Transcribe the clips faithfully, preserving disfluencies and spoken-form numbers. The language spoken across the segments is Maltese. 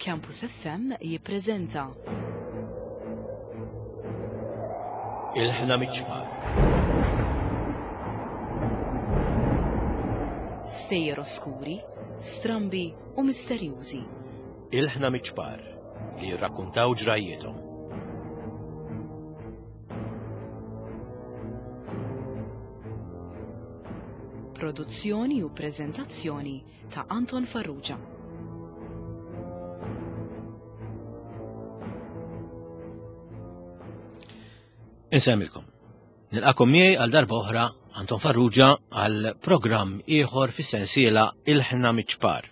Campus F M jippreżenta Ilħna Miċ-Ċpar. Stejjer oskuri, strambi u misterjużi. Ilħna Miċ-Ċpar li jirrakkuntaw ġrajjithom. Produzzjoni u preżentazzjoni ta' Anton Farrugia. Insemmilkom. Nilqakom miegħi għal darba oħra Anton Farrugia għal programm ieħor fis-sensiela Ilħna Miċ-Ċpar.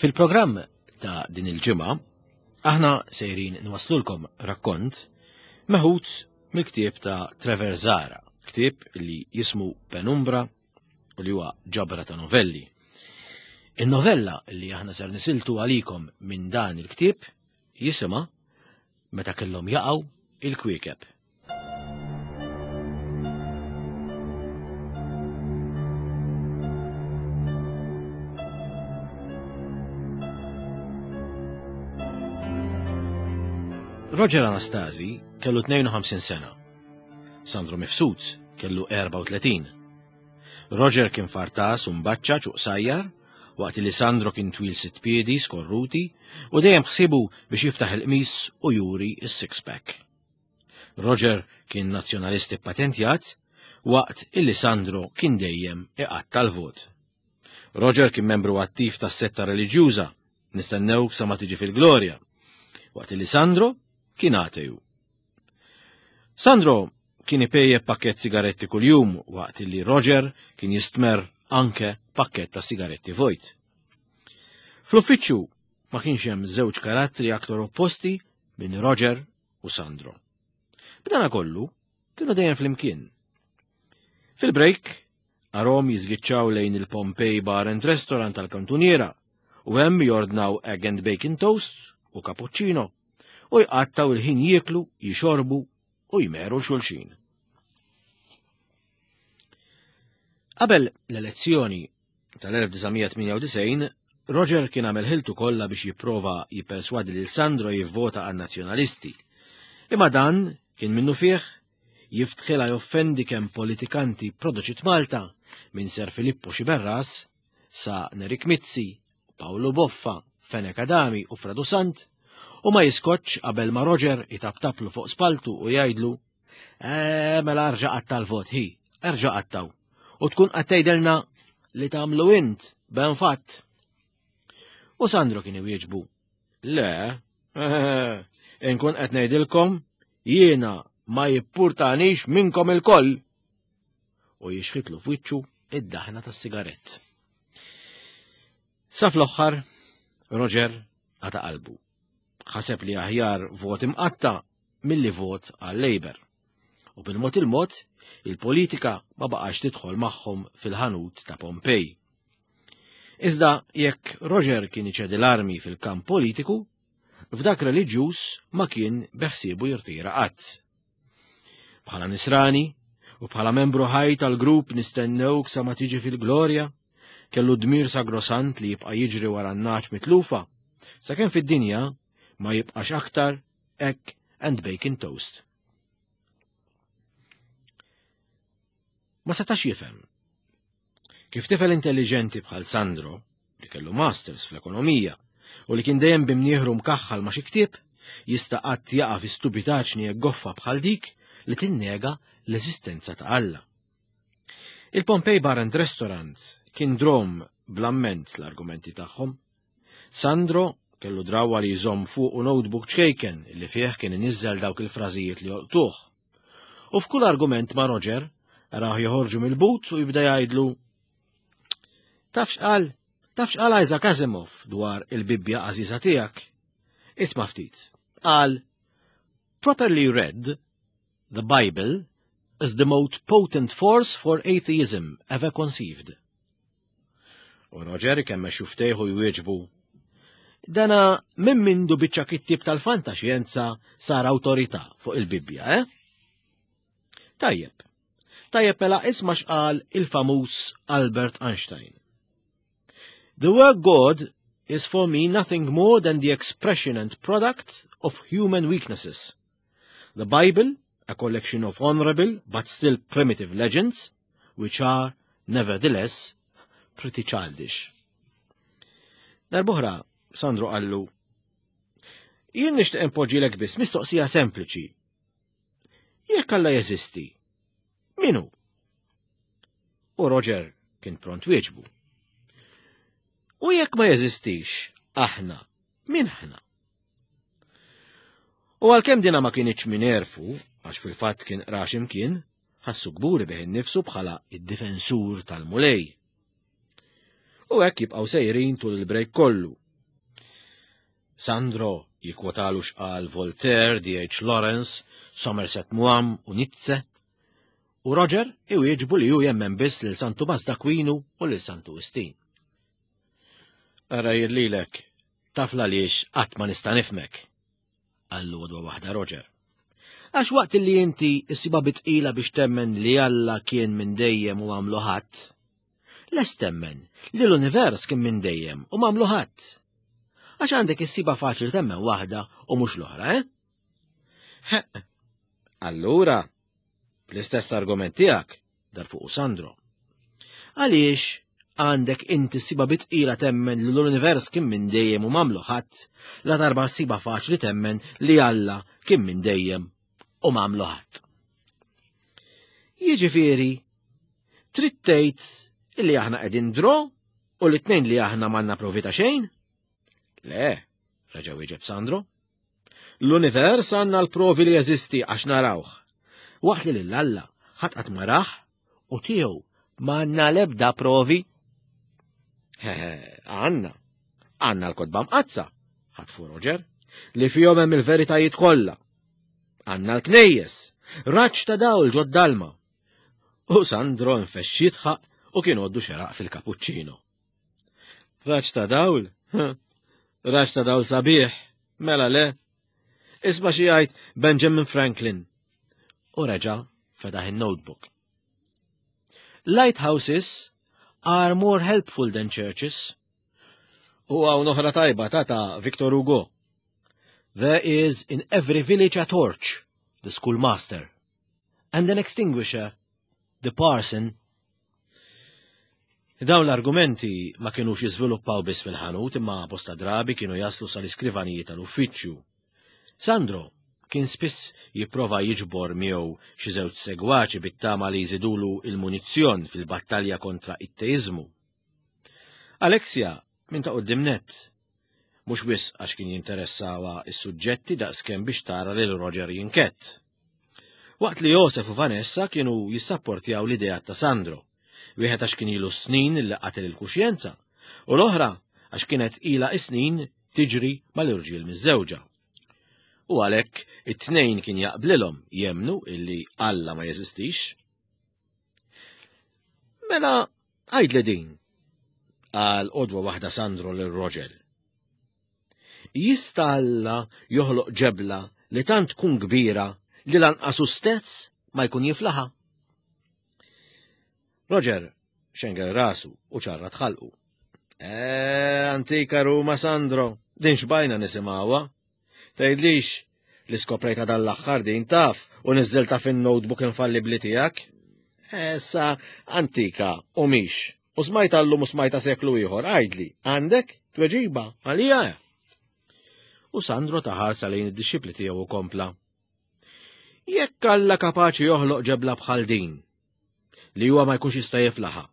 Fil-programm ta' din il-ġimgħa aħna sejrin nwaslulkom rakkont meħud mill-ktieb ta' Trevor Zahra, ktieb li jismu Penumbra u li huwa ġabra ta' novelli. In-novella li aħna ser nisiltu għalikom minn dan il-ktieb jisimha Meta kellhom jaqgħu il-kwiekeb. Roger Anastasi kellu tnejn u ħamsin sena. Sandro Mifsud kellu erba' u tletin. Roger kien fartas u mbaċċaċ u qsajjar, waqt li Sandro kien twil sitt piedi skorruti u dejjem ħsibu biex jiftaħ il-qmis u juri s-six-pack. Roger kien nazzjonalisti patentjat, waqt illi Sandro kien dejjem iqatta' l-vot. Roger kien membru attiv tas-setta reliġjuża, nistennew sa ma tiġi fil-glorja, waqt illi Sandro kien ateju. Sandro kien ipejjeb pakket sigaretti kuljum, waqt illi Roger kien jistmer anke pakket ta' sigaretti vojt. Fl-uffiċċju ma kienx hemm żewġ karattri aktar opposti minn Roger u Sandro. B'dana kollu kienu dejjem flimkien. Fil-break, arom jiżgiċċaw lejn il-Pompei Bar and Restaurant tal-kantuniera u hemm jordnaw egg and bacon toast u cappuccino u jqattaw il-ħin jieklu, jixorbu u jmeru l-xulxin. Qabel l-elezzjoni tal-elf disa' mija tmienja u disgħin, Roger kien għamel ħiltu kollha biex jipprova jipperswadi lil Sandro jivvota għan-nazzjonalisti. Imma dan kien minnu fih jiftħilha joffendi kemm politikanti produċit Malta minn Sir Filippo Sciberras sa Nerik Mizzi, Paolo Boffa, Fenech Adami u Fredu Sant, u ma jiskotx qabel ma Roger itaptaplu fuq spaltu u jgħidlu, Eh, mela erġa' qatta' l-vot, hi, erġa' qattaw. U tkun qed tgħidilna li tagħmlu int ben fatt. U Sandro kien iwieġbu, Le, inkun qed ngħidilkom jiena ma jippurtanix minnkom ilkoll. U jixħitlu f'wiċċu id-daħna tas-sigarett. Sa fl-aħħar, Roger qata' qalbu. Ħaseb li aħjar vot imqatta' milli vot għal-Labour. U bil-mod il-mod, il-politika ma baqax tidħol magħhom fil-ħanut ta' Pompei. Iżda jekk Roger kien iċedi l-armi fil-kamp politiku, f'dak reliġjuż ma kien beħsiebu jirtira qatt. Bħala nisrani u bħala membru ħaj tal-grupp nistennewk sa ma tiġi fil-glorja, kellu dmir sagrosant li jibqa' jiġri wara n-naċ mitlufa, sakemm fid-dinja ma jibqax aktar egg and bacon toast. Ma setax jifhem kif tifel intelligenti bħal Sandro, li kellu masters fl-ekonomija u li kien dejjem bimnieħru mkaħħal ma' xi ktieb, jista' qatt jaqa' fi stupitaġni hekk goffa bħal dik li tinnega l-eżistenza ta' Alla. Il-Pompei Bar and Restaurant kien drom bl-amment l-argumenti tagħhom. Sandro kellu drawa li jżomm fuq u notebook ċkejken li fih kien iniżżel dawk il-frażijiet li jolqtuh. U f'kull argument ma' Roger, raħ joħorġu mill-but u jibda jgħidlu, Taf x'qal? Taf x'qal Isaac Asimov dwar il-Bibbja għażiża tiegħek? Isma' ftit. Qal, Properly read, the Bible is the most potent force for atheism ever conceived. U Roger kemm xuftejħu jwieġbu, Dana minn mindu biċċa kittib tal-fantaxjenza sar awtorità fuq il-Bibbja, eh? Tajjeb. Tajjeb mela isma' x'qal il-famuż Albert Einstein. The word God is for me nothing more than the expression and product of human weaknesses. The Bible, a collection of honorable but still primitive legends, which are, nevertheless, pretty childish. Darb'oħra, Sandro qallu, jien nixtieq inpoġġilek biss mistoqsija sempliċi. Jekk Alla jeżisti, min hu? U Roger kien pront wieġbu. U jekk ma jeżistix, aħna, min aħna? U għalkemm dina ma kinitx minn għerfu, għax fil-fatt kien qraha x'imkien, ħassu kburi bih innifsu bħala id-difensur tal-Mulej. U hekk jibqgħu sejrin tul il-break kollu. Sandro jikkwotalu x'qal Voltaire, D H Lawrence, Somerset Maugham u Nietzsche, u Roger iwieġbu li hu jemmen biss lil Santu Tumas d'Aquinu u lil Santu Wistin. Ara jirlilek, taf għaliex qatt ma nista' nifhmek, qallu għodwa waħda Roger. Għax waqt li inti issibha bi tqila biex temmen li Alla kien minn dejjem u għamlu ħadd, lest temmen li l-univers kien minn dejjem u m'għamlu ħadd. Għax għandek issibha faċli temmen waħda u mhux l-oħra, eh? Heq, allura, bl-istess argument tiegħek, dar fuq Sandro. Għaliex għandek inti ssibha bi tqila temmen li l-univers kien minn dejjem u m'għamlu ħadd, la darba ssibha faċli temmen li Alla kien minn dejjem u m'għamlu ħadd. Jiġifieri, trid tgħid illi aħna qegħdin draw u l-tnejn li aħna m'għandna provi ta' xejn? Le, reġa' wieġeb Sandro. L-univers għandna l-provi li jeżisti għax narawh. Waqt li lil Alla ħadd qatt ma rah u tiegħu m'għandna l-ebda provi. Hehe, għandna. Għandna l-kotba mqaddsa, ħatfu Roger, li fihom hemm il-veritajiet kollha. Għandna l-knejjes, raġġ ta' dawl ġod-dalma. U Sandro nfexx jidħaq u kien għoddu xeraq fil-kapuċċino. Raġġ ta' dawl? Raġġ ta' dawl sabiħ, mela le. Isma' xi jgħid Benjamin Franklin. U reġa' fetaħ in-notebook. Lighthouses are more helpful than churches. U hawn oħra tajba ta' ta' Victor Hugo. There is in every village a torch, the schoolmaster, and an extinguisher, the parson. Dawn l-argumenti ma kienux jiżviluppaw biss fil-ħanut imma bosta drabi kienu jaslu sal-iskrivanijiet tal-uffiċċju. Sandro kien spiss jipprova jiġbor miegħu xi żewġ segwaċi bit-tama li jżidulu il-munizzjon fil-battalja kontra it-teiżmu. Alexia minn ta' quddiem nett, mhux wisq għax kien jinteressawa is-suġġetti daqskemm biex tara lil Roger jinkett. Waqt li Josef u Vanessa kienu jissapportjaw l-idea ta' Sandro, wieħed għax kien ilu snin li qatel il-kuxjenza, u l-oħra għax kienet ilha snin tiġri mal-irġiel miż-żewġa. U għalhekk it-tnejn kien jaqblilhom jemnu illi Alla ma jeżistix. Mela għidli din, qal għodwa waħda Sandro lil Roger. Jista' Alla joħloq ġebla li tant tkun kbira li lanqas hu stess ma jkun jiflaħa? Roger xengel rasu u ċarrat ħalqu. Eh, antika Ruma Sandro, din xbajna nisimgħuha. Tgħidlix li skoprejta dan l-aħħar din taf u niżżilta fin-notebook infallibli tiegħek. Issa antika u mhix. U smajta llum u smajta seklu ieħor, għidli, għandek tweġiba għalija. U Sandro taħarsa lejn id-dixxipli tiegħu u kompla. Jekk Alla kapaċi joħloq ġebla bħal din, li huwa ma jkunx jista' jiflaħa,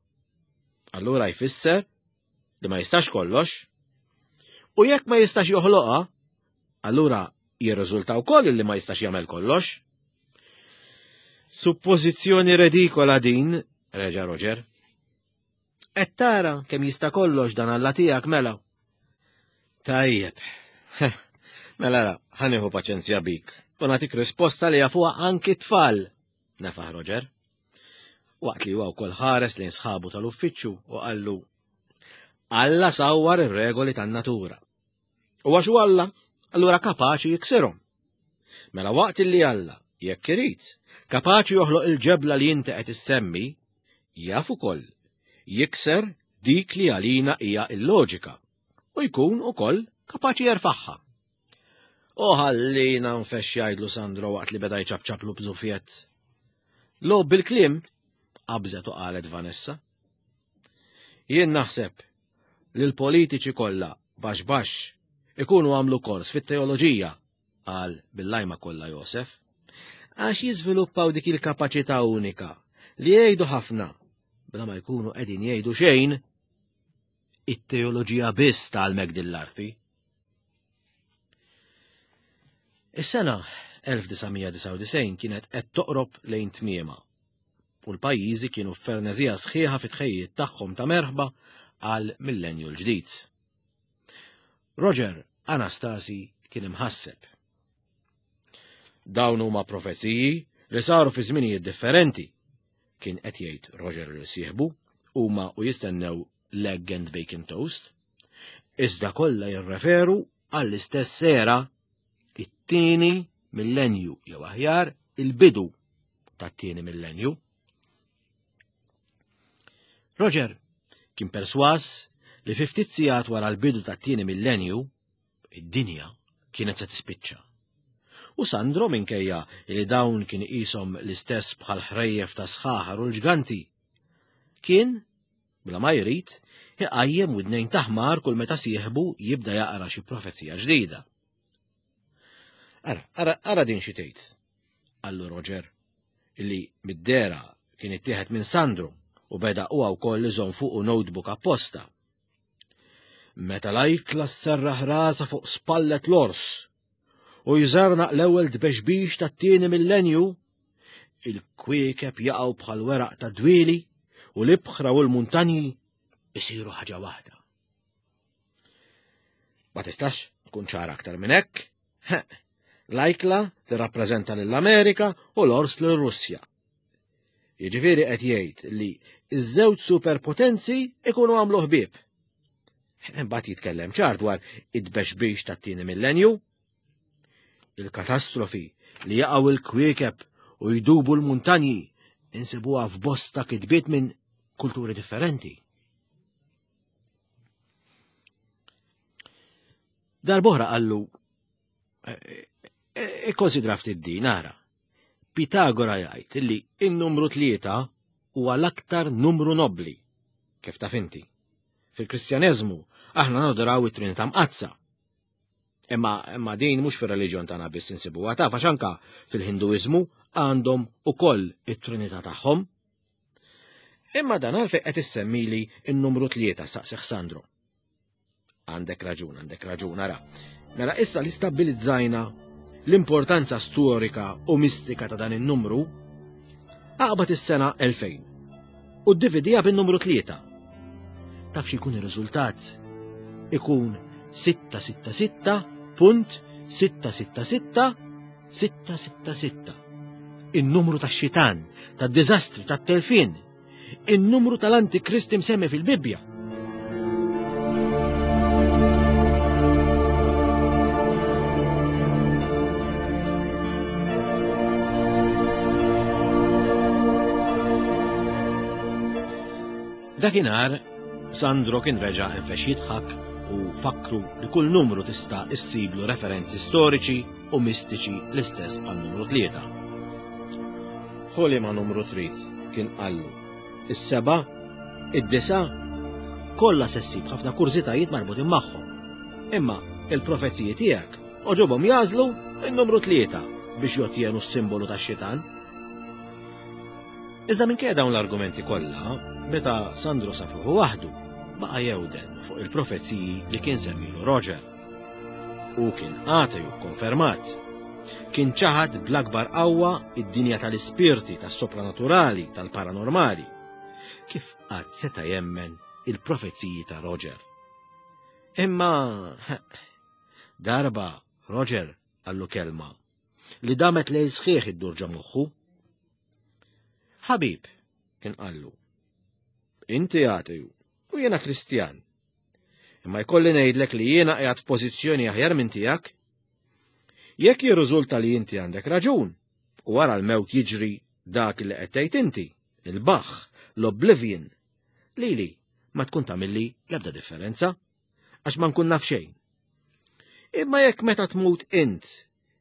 allura jfisser li ma jistax kollox. U jekk ma jistax joħloqha, allura jirriżulta wkoll li ma jistax jagħmel kollox. Suppożizzjoni redikola din, reġa' Roger. Qed tara kemm jista' kollox dan Alla tiegħek mela. Tajjeb. Mela ra, ħa nieħu paċenzja bik u nagħtik risposta li jafuha anki t-tfal, nefaħ Roger. Waqt li huwa wkoll ħares lejn sħabu tal-uffiċċju u qallu Alla sawwar ir-regoli tan-natura. U għax hu Alla, allura kapaċi jiksirhom. Mela waqt li Alla, jekk irid, kapaċi joħloq il-ġebla li inti qed issemmi, jaf ukoll jikser dik li għalina hija il-loġika u jkun ukoll kapaċi jerfagħha. U ħallina nfex jgħidlu Sandro waqt li beda jċapċaplu bżufjet. Logħob bil-kliem, qabżet u qalet Vanessa. Jien naħseb li l-politiċi kollha baxx baxx ikunu għamlu kors fit-teoloġija, qal bil-lajma kollha Josef, għax jiżviluppaw dik il-kapaċità unika li jgħidu ħafna bla ma jkunu qegħdin jgħidu xejn. It-teoloġija biss tgħallmek din l-arti. Is-sena elf disa' mija disgħa u disgħin kienet qed toqrob lejn tmiema u l-pajjiżi kienu f'fernezija sħiħa fit-tħejjiet tagħhom ta' merħba għal millenju l-ġdid. Roger Anastasi kien imħasseb. Dawn huma profeziji li saru fi żminijiet differenti, kien qed jgħid Roger li sieħbu huma u jistennew l-egg and bacon toast, iżda kollha jirreferu għall-istess era, it-tieni millenju jew aħjar il-bidu tat-tieni millenju. Roger kien perswas li fi ftit sigħat wara l-bidu tat-tieni millenju, id-dinja kienet se tispiċċa. U Sandro, minkejja li dawn kien iqishom l-istess bħal ħrejjef ta' sħaħar u l-ġganti, kien, bla ma jrid, iqajjem widnejn ta' ħmar kull meta sieħbu jibda jaqra xi profezija ġdida. Ara, ara, ara din xi tgħid, qallu Roger, illi mid-dera kien ittieħed minn Sandro u beda huwa wkoll iżomm fuqu notebook apposta. Meta l-ajkla sserraħ rasha fuq spallet l-ors u jżarnaq l-ewwel tbexbix tat-tieni millenju, il-kwiekeb jaqgħu bħal weraq ta' dwieli u l-ibħra u l-muntanji isiru ħaġa waħda. Ma tistax tkun ċara aktar minn hekk. L-ajkla tirrappreżenta lill-Amerika u l-ors lir-Russja. Jiġifieri qed jgħid li ż-żewġ superpotenzi ikunu għamlu ħbieb. Imbagħad jitkellem ċar dwar id-tbexbix tat-tieni millenju, il-katastrofi li jaqgħu il-kwiekeb u jdubu l-muntanji insibuha f'bosta kitbiet minn kulturi differenti. Darb'oħra qallu, ikkonsidra ftit din, ara. Pitagora jgħid li n-numru tlieta huwa l-aktar numru nobbli, kif taf inti. Fil-Kristjaneżmu aħna nadoraw it-Trinità Mqaddsa. Imma, imma din mhux fir-reliġjon tagħna biss insibuha, taf, għax anka fil-Hinduiżmu għandhom ukoll it-Trinità tagħhom. Imma dan għalfejn qed issemmili n-numru tlieta, staqsih Sandro. Għandek raġun, għandek raġun, ara. Mela issa li stabbilizzajna l-importanza storika u mistika ta' dan in-numru, aqbad is-sena elfejn u ddividija bin-numru tlieta. Taf x'ikun ir-riżultat? Ikun sitta sitta sitta punt sitta sitta sitta sitta sitta sitta. In-numru tax-xitan, tad-diżastri, tat-telfien, in-numru tal-Antikrist imsemmi fil-Bibbja. Dakinhar, Sandro kien reġa' infex jidħak u fakru li kull numru tista' issiblu referenzi storiċi u mistiċi l-istess bħal numru tlieta. Ħu li ma numru trid, kien qallu. Is-seba', id-disa', kollha se ssib ħafna kurżitajiet marbutin magħhom. Imma il-profeziji tiegħek oġobhom jażlu n-numru tlieta biex jotjenu s-simbolu tax-xitan. Iżda minkejja dawn l-argumenti kollha, meta Sandro sab ruħu waħdu, baqa' jewden fuq il-profeziji li kien semmilu Roger. U kien ateju konfermat. Kien ċaħad bl-akbar qawwa id-dinja tal-ispirti, tas-sopranaturali, tal-paranormali. Kif qatt seta' jemmen il-profeziji ta' Roger? Imma darba Roger qallu kelma li damet lejl sħiħ iddur ġo moħħu. Ħabib, kien qallu, inti ateju u jiena Kristjan. Imma jkolli ngħidlek li jiena qiegħed f'pożizzjoni aħjar minn tiegħek. Jekk jirriżulta li inti għandek raġun, u wara l-mewt jiġri dak li qed tgħid inti, il-baħħ, l-oblivion, lili ma tkun tagħmilli l-ebda differenza, għax ma nkun naf xejn. Imma jekk meta tmut int,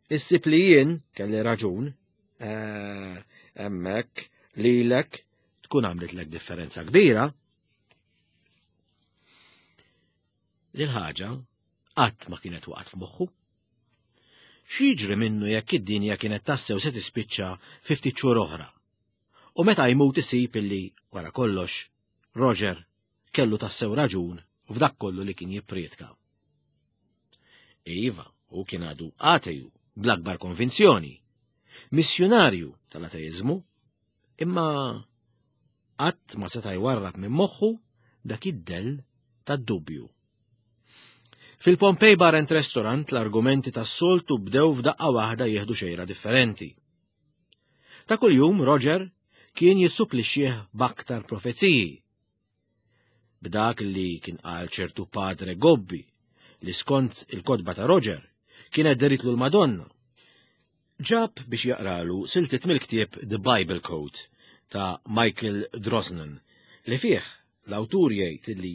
issib li jien kelli raġun, eh, hemmhekk lilek tkun għamlitlek differenza kbira. Dil ħaġa qatt ma kienet waqgħet f'moħħu. X'jiġri minnu jekk id-dinja kienet tassew se tispiċċa fi ftit xhur oħra? U meta jmut isib illi, wara kollox, Roger kellu tassew raġun f'dak kollu li kien jipprietka. Iva, hu kien għadu ateju bl-akbar konvinzjoni, missjunarju tal-ateiżmu, imma qatt ma seta' jwarrab minn moħħu dak id-dell tad-dubju. Fil-Pompei Bar and Restaurant l-argumenti tas-soltu bdew f'daqqa waħda jieħdu xejra differenti. Ta' kuljum Roger kien jissupplixxih b'aktar profeziji. B'dak li kien qal ċertu Padre Gobbi li skont il-kotba ta' Roger kienet deritlu l-Madonna. Ġab biex jaqralu siltiet mill-ktieb The Bible Code ta' Michael Drosnin li fih l-awtur jgħid li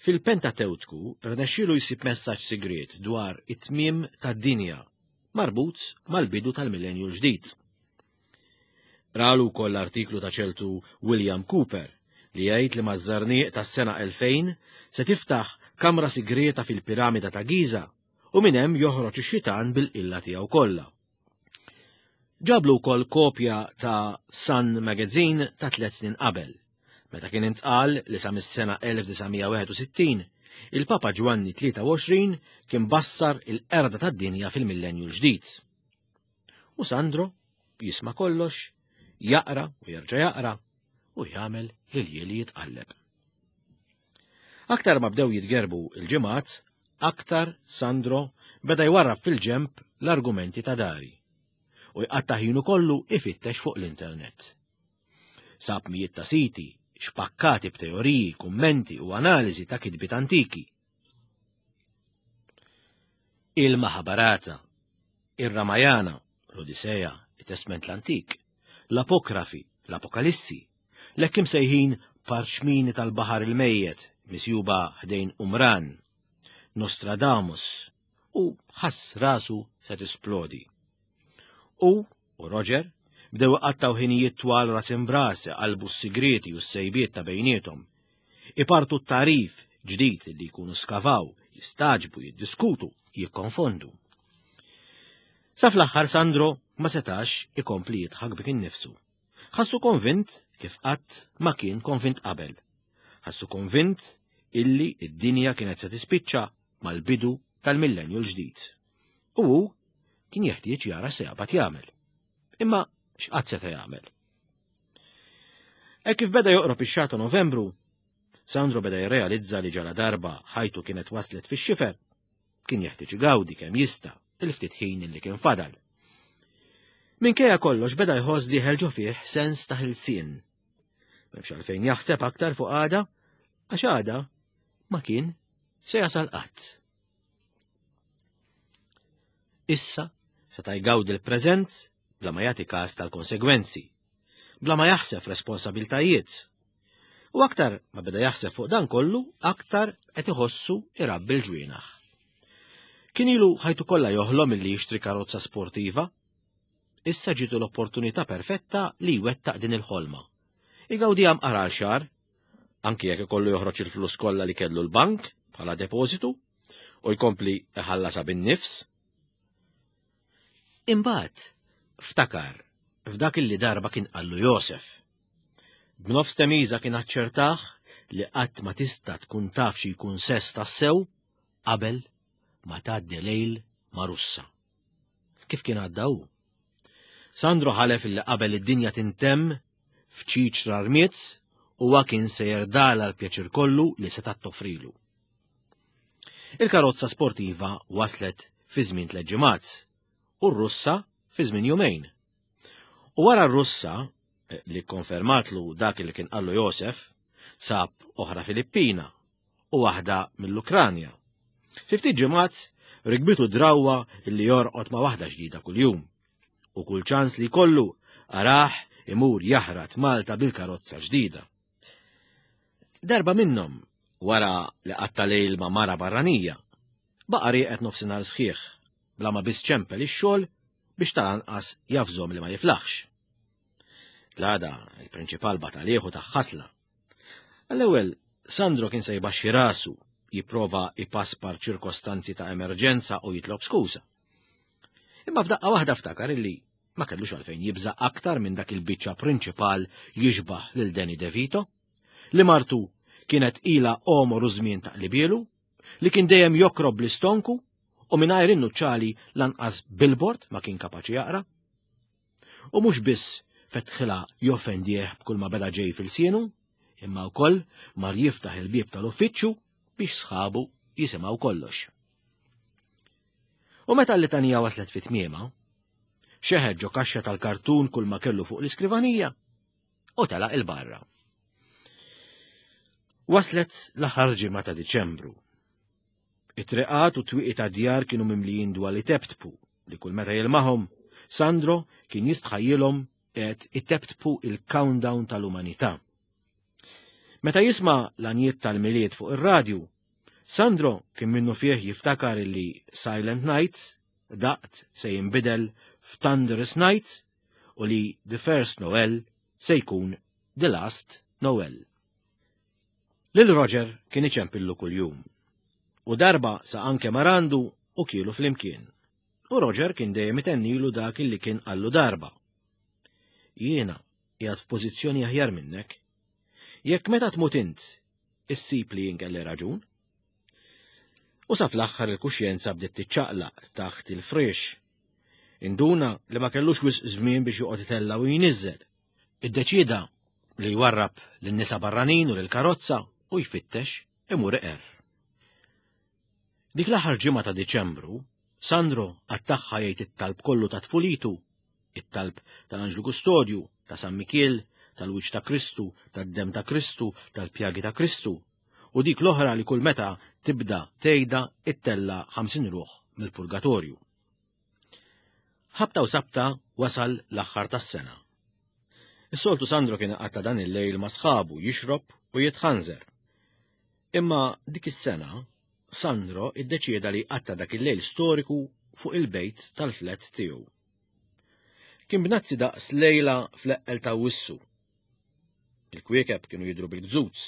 fil-Pentatewtku rnexxielu jsib messaġġ sigriet dwar it-tmiem tad-dinja marbut mal-bidu tal-millenju l-ġdid. Ralu wkoll l-artiklu ta' ċertu William Cooper li jgħid li maż-żarniq tas-sena elfejn se tiftaħ kamra sigrieta fil-piramida ta' Giza u minn hemm joħroġ ix-xitan bil-qilla tiegħu kollha. Ġablu wkoll kopja ta' Sun Magazine ta' tliet snin qabel, meta kien intqal li sa mis-sena elf disa' mija wieħed u sittin il-Papa Ġwanni tlieta u għoxrin kien bassar il-qerda tad-dinja fil-millenju l-ġdid. U Sandro jisma' kollox, jaqra u jerġa' jaqra u jagħmel l-iljieli jitqalleb. Aktar ma bdew jitgerbu il-ġimgħat, aktar Sandro beda jwarrab fil-ġemp l-argumenti ta' dari u jqatta' ħinu kollu ifittex fuq l-internet. Sab mijiet ta' siti, xpakkati b'teoriji, kummenti u analiżi ta' kitbiet antiki. Il-Mahabharata, ir-Ramayana, l-Odiseja, it-Testment l-Antik, l-Apokrafi, l-Apokalissi, l-hekk imsejħin parċmini tal-Baħar il-Mejjet, misjuba ħdejn Qumran, Nostradamus, u ħass rasu se tisplodi. U, u Roger bdew iqattaw ħinijiet twal ras imbras qalbu s-sigrieti u s-sejbiet ta' bejniethom. Ipartu t-tarif ġdid li jkunu skavaw, jistaġbu, jiddiskutu, jikkonfondu. Sa fl-aħħar Sandro ma setax ikompli jidħak bik innifsu. Ħassu konvint kif qatt ma kien konvint qabel. Ħassu konvint illi id-dinja kienet se tispiċċa mal-bidu tal-millenju l-ġdid. U hu kien jeħtieġ jara se jaqbad jagħmel. Imma x'qatt seta' jagħmel? Hekk kif beda joqrob ix-xahar ta' Novembru, Sandro beda jirrealizza li ġala darba ħajtu kienet waslet fix-xifer, kien jeħtieġ igawdi kemm jista' il-ftit ħin li kien fadal. Minkejja kollox beda jħoss dieħel ġo fih sens ta' ħelsien. M'hemmx għalfejn jaħseb aktar fuq għada, għax għada ma kien se jasal qatt. Issa seta' jgawdi l-preżent bla ma jagħti każ tal-konsegwenzi, bla ma jaħseb responsabiltajiet. U aktar ma beda jaħseb fuq dan kollu, aktar qed iħossu irabbi l-ġwienaħ. Kien ilu ħajtu kollha joħlom illi jixtri karozza sportiva. Issa ġitu l-opportunità perfetta li jwettaq din il-ħolma. Igawdiha mqar għal xahar, anki jekk ikollu joħroġ il-flus kollha li kellu l-bank bħala depożitu u jkompli iħallasha bin-nifs. Imbagħad ftakar f'dak illi darba kien qallu Josef. B'nofs temiża kien aċċertah li qatt ma tista' tkun taf xi jkun sess tassew qabel ma tgħaddi lejl ma' Russa. Kif kien għadda hu? Sandro ħalef illi qabel id-dinja tintemm f'ċiċra rmiet huwa kien se jerdala l-pjaċir kollu li seta' toffrilu. Il-karozza sportiva waslet fi żmien tliet ġimgħat u r-Russa fi żmien jumejn. U wara r-Russa, eh, li konfermatlu dak li kien qallu Josef, sab oħra Filippina u waħda mill-Ukranja. Fi ftit ġimgħat rikbitu drawwa li jorqod ma' waħda ġdida kuljum. U kull ċans li kollu araħ imur jaħrat Malta bil-karozza ġdida. Darba minnhom, Wara li qatta' lejl ma' mara barranija, baqa' rieqed nofsinhar sħiħ bla ma biss ċempel ix-xogħol biex tal-anqas jafżhom li ma jiflaħx. L-għada il-prinċipal bagħat għalih u tah ħasla. Għall-ewwel Sandro kien se jbaxxi rasu, jipprova ipaspar ċirkostanzi ta' emerġenza u jitlob skuża. Imma f'daqqa waħda ftakar illi ma kellux għalfejn jibża aktar minn dak il-biċċa prinċipal jixbah lil Danny DeVito, li martu kienet ila għomor u żmien taqlibielu, li kien dejjem jokrob l-istonku u mingħajr innuċċali lanqas billboard ma kien kapaċi jaqra. U mhux biss fetħilha joffendih b'kull ma beda ġej f'ilsienu, imma wkoll mar jiftaħ il-bieb tal-uffiċċju biex sħabu jisimgħu kollox. U meta l-litanija waslet fi tmiemha, xeħet ġo kaxxa tal-kartun kull ma kellu fuq l-iskrivanija u telaq 'il barra. Waslet l-aħħar ġimgħa ta' Diċembru. It-triqat u twieqi ta' djar kienu mimlijin dwal iteptpu li kull meta jilmaħom, Sandro kien jistħajjilhom qed iteptpu il-countdown tal-umanità. Meta jisma' l-għanjiet tal-Milied fuq ir-radju, Sandro kien minnu fih jiftakar li Silent Night daqt se jinbidel f'Thunderous Night u li The First Noel se jkun The Last Noel. Lil Roger kien iċempillu kuljum. U darba sa anke mar għandu u kielu flimkien. U Roger kien dejjem itennilu dak li kien qallu darba. Jiena qiegħed f'pożizzjoni aħjar minnek. Jekk meta tmut int, issib li jien kelli raġun. U sa fl-aħħar il-kuxjenza bdiet tiċċaqlaq taħt il-friex. Induna li ma kellux wisq żmien biex joqgħod itella' u jniżżel. Iddeċieda li jwarrab lin-nisa barranin u lill-karozza u jfittex imur iqer. Dik l-aħħar ġimgħa ta' Diċembru, Sandro qattagħha jgħid it-talb kollu ta' tfulitu, it-talb tal-Anġlu Kustodju, ta' San Mikiel, tal-Wiċċ ta' Kristu, tad-Demm ta' Kristu, tal-Pjagi ta' Kristu, u dik l-oħra li kull meta tibda tgħidha ittella' ħamsin ruħ mill-purgatorju. Ħabta u sabta wasal l-aħħar tas-sena. Is-soltu Sandro kien qatta' dan il-lejl ma' sħabu jixrob u jitħanżer. Imma dik is-sena Sandro iddeċieda li qatta' dak il-lejl storiku fuq il-bejt tal-flat tiegħu. Kien bnazzi daqs lejla fl-eqqel ta' Awwissu. Il-kwiekeb kienu jidhru bil-gżuz.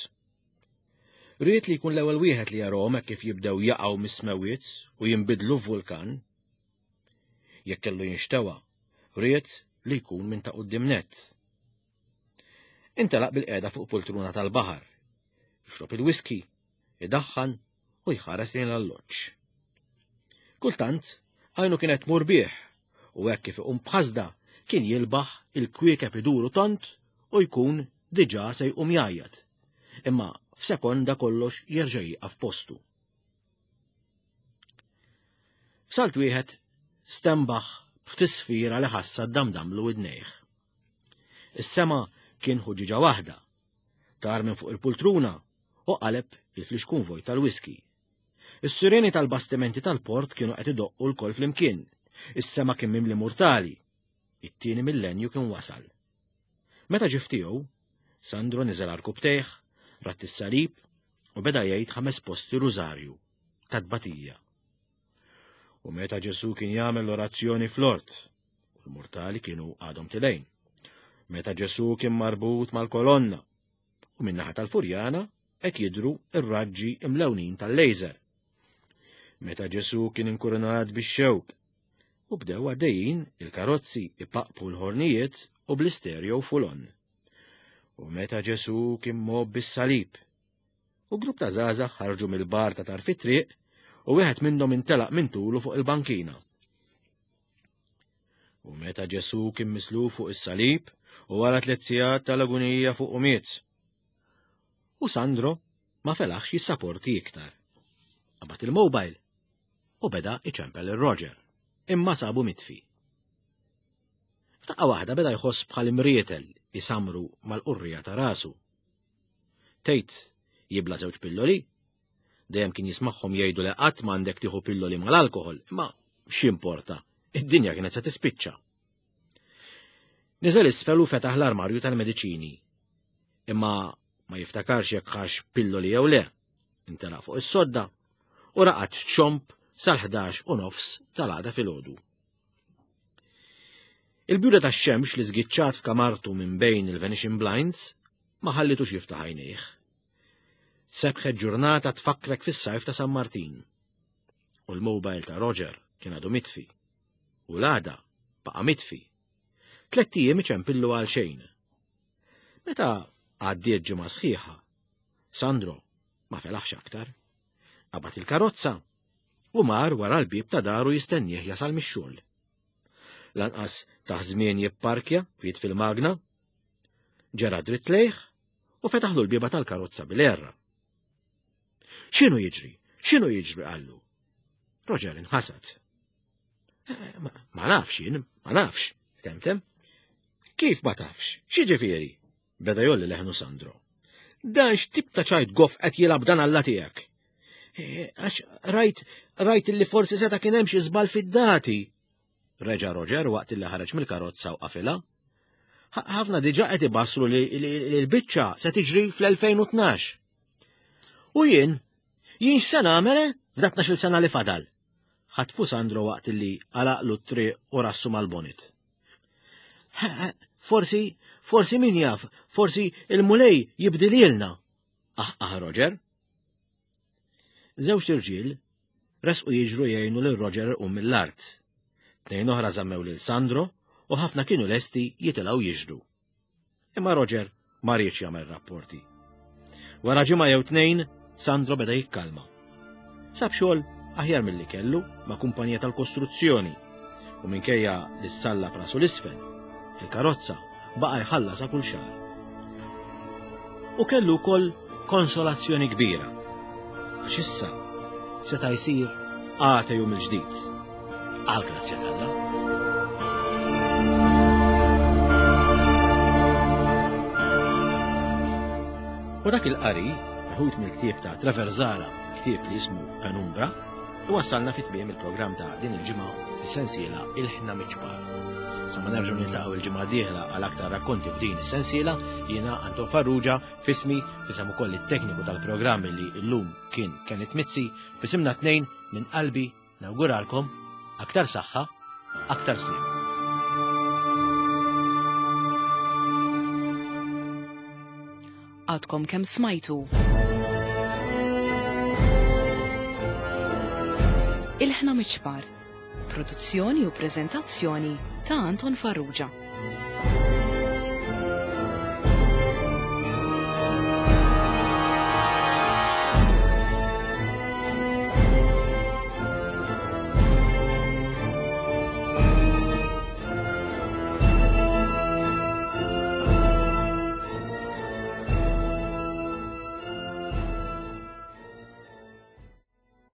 Ried li jkun l-ewwel wieħed li jarahom hekk kif jibdew jaqgħu mis-smewwiet u jinbidlu f'vulkan. Jekk kellu jinxtewa, ried li jkun minn ta' quddiem nett. Intelaq bil-qiegħda fuq poltruna tal-baħar, jixrob il-whisky, idaħħan u jħares lejn l-alloġġ. Kultant, għajnu kienet tmur bih u hekk kif iqum b'ħasda kien jilbaħ il-kwiekeb iduru tont u jkun diġà se jqum jgħajjat. Imma f'sekonda kollox jerġa' jieqaf postu. F'salt wieħed stenbaħ b'tisfira li ħassa ddamdamlu widnejh. Is-sema kien ħuġġiġa waħda. Tar minn fuq il-pultruna u qaleb il-flixkun vojt tal-whisky. Is-sireni tal-bastimenti tal-port kienu qed idoqqu lkoll flimkien. Is-sema kien mimli murtali. It-tieni millenju kien wasal. Meta ġie f'tiegħu, Sandro niżel għarkupptejh, ratt is-salib u beda jgħid ħames posti rużarju ta' tbatija. U meta Ġesù kien jagħmel l-orazzjoni fl-ort, u l-murtali kienu għadhom tilejn. Meta Ġesù kien marbut mal-kolonna, u min-naħa tal-Furjana qed jidhru r-raġġi imlewnin tal-laser. Meta Ġesù kien inkurunat bix-xewk, u bdew għaddejjin il-karozzi ipaqpu l-ħornijiet u bl-istereo full on. U meta Ġesù kien mob bis-salib, u grupp ta' żgħażagħ ħarġu mill-bar ta' tarf it-triq u wieħed minnhom intelaq minn tulu fuq il-bankina. U meta Ġesù kien misluf fuq is-salib u wara tliet sigħat tal-agunija fuq u miet. U Sandro ma felaħx jissaporti iktar. Qabad il-mobile u beda iċempel il-Roger, imma sabu mitfi. F'daqqa waħda beda jħoss bħal imrietel isamru mal-qurrija ta' rasu. Tgħid jibla żewġ pilloli? Dejjem kien jismagħhom jgħidu li qatt m'għandek tieħu pilloli mal-alkoħol, imma x'importa, id-dinja kienet se tispiċċa. Niżel isfel u fetaħ l-armarju tal-mediċini. Imma ma jiftakarx jekk ħax pilloli jew le. Intelaq fuq is-sodda u raqad ċomb sal-ħdax u nofs tal-għada filgħodu. Il-bjuda tax-xemx li żgiċċat f'kamartu minn bejn il-Venetian Blinds ma ħallitux jiftaħ għajnejh. Sebħet ġurnata tfakkrek fis-sajf ta' San Martin. U l-mobile ta' Roger kien għadu mitfi. U l-għada baqa' mitfi. Tlett ijiem iċempillu għal xejn. Meta għaddiet ġimgħa sħiħa, Sandro ma felaħx aktar. Qabad il-karozza u mar wara l-bieb ta' daru jistennieh jasal mix-xogħol. Lanqas ta' żmien jipparkja u jitfi l-magna, ġera dritt lejh u fetaħlu l-bieba tal-karozza bil-erra. X'inhu jiġri? X'inhu jiġri qallu? Roger inħasad. Eh, ma, ma nafx jien, ma nafx, temtem. Kif ma tafx? X'jiġifieri? Beda jolli leħnu Sandro. Dan x'tip ta' ċajt goff qed jilgħab dan Alla tiegħek? Eh, għax rajt, rajt li forsi seta' kien hemm xi żball fid-dati. Reġa' Roger waqt li ħareġ mill-karozza u qafilha. Ħafna diġà qed ibassru li l-biċċa se tiġri fl-elfejn u tnax. U jien, jien x'se nagħmel eh, f'dak tnax-il sena li fadal? Ħatfu Sandro waqt li għalaqlu t-triq u rassu mal-bonit. Forsi, forsi min jaf, forsi il-Mulej jibdililna. Ah, ah, Roger. Żewġ irġiel resqu jiġru jgħinu lil Roger u mill-art. Tnejn oħra żammew lil Sandro u ħafna kienu lesti jitilgħu jiġru. Imma Roger ma riedx jagħmel rapporti. Wara ġimgħa jew tnejn, Sandro beda jikkalma. Sab xogħol aħjar milli kellu ma' kumpanija tal-kostruzzjoni u minkejja li ssalla prasu l-isfel, il-karozza baqa' jħallasha kull xahar. U kellu wkoll konsolazzjoni kbira, għax issa seta' jsir għateju mill-ġdid. Għal grazzja t'Alla. U dak il-qari, meħud mill-ktieb ta' Trevor Zahra, ktieb li jismu Penumbra, iwassalna fi tmiem il-programm ta' din il-ġimgħa fis-sensiela Ilħna Miċ-Ċpar. Sa ma nerġgħu niltaqgħu il-ġimgħa d-dieħla għal aktar rakkonti f'din is-sensiela, jiena Anton Farrugia, fismi, fisem ukoll it-tekniku tal-programm li llum kien Kenneth Mizzi, fisimna tnejn minn qalbi nawguralkom aktar saħħa, aktar sliem. Għadkom kemm smajtu. Ilħna Miċ-Ċpar, produzzjoni u preżentazzjoni ta' Anton Farrugia.